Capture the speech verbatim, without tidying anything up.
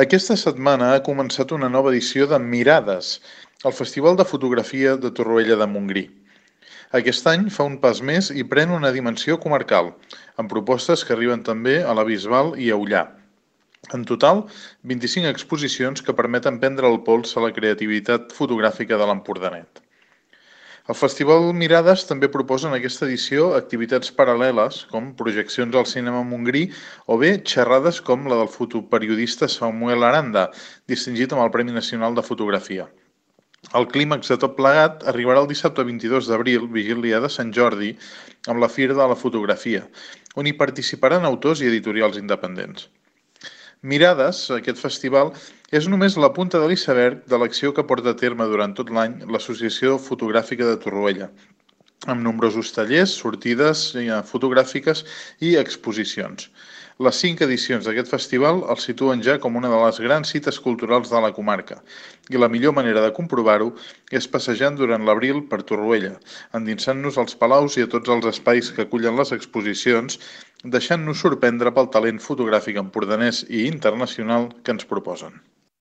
Aquesta setmana ha començat una nova edició de Mirades, el Festival de Fotografia de Torroella de Montgrí. Aquest any fa un pas més i pren una dimensió comarcal, amb propostes que arriben també a la Bisbal i a Ullà. En total, vint-i-cinc exposicions que permeten prendre el pols a la creativitat fotogràfica de l'Empordanet. El Festival Mirades també proposa en aquesta edició activitats paral·leles, com projeccions al cinema Montgrí o bé xerrades com la del fotoperiodista Samuel Aranda, distingit amb el Premi Nacional de Fotografia. El clímax de tot plegat arribarà el dissabte vint-i-dos d'abril, vigília de Sant Jordi, amb la Fira de la Fotografia, on hi participaran autors i editorials independents. Mirades, aquest festival, és només la punta de l'iceberg de l'acció que porta a terme durant tot l'any l'Associació Fotogràfica de Torroella, amb nombrosos tallers, sortides fotogràfiques i exposicions. Les cinc edicions d'aquest festival el situen ja com una de les grans cites culturals de la comarca i la millor manera de comprovar-ho és passejant durant l'abril per Torroella, endinsant-nos als palaus i a tots els espais que acullen les exposicions, deixant-nos sorprendre pel talent fotogràfic empordanès i internacional que ens proposen.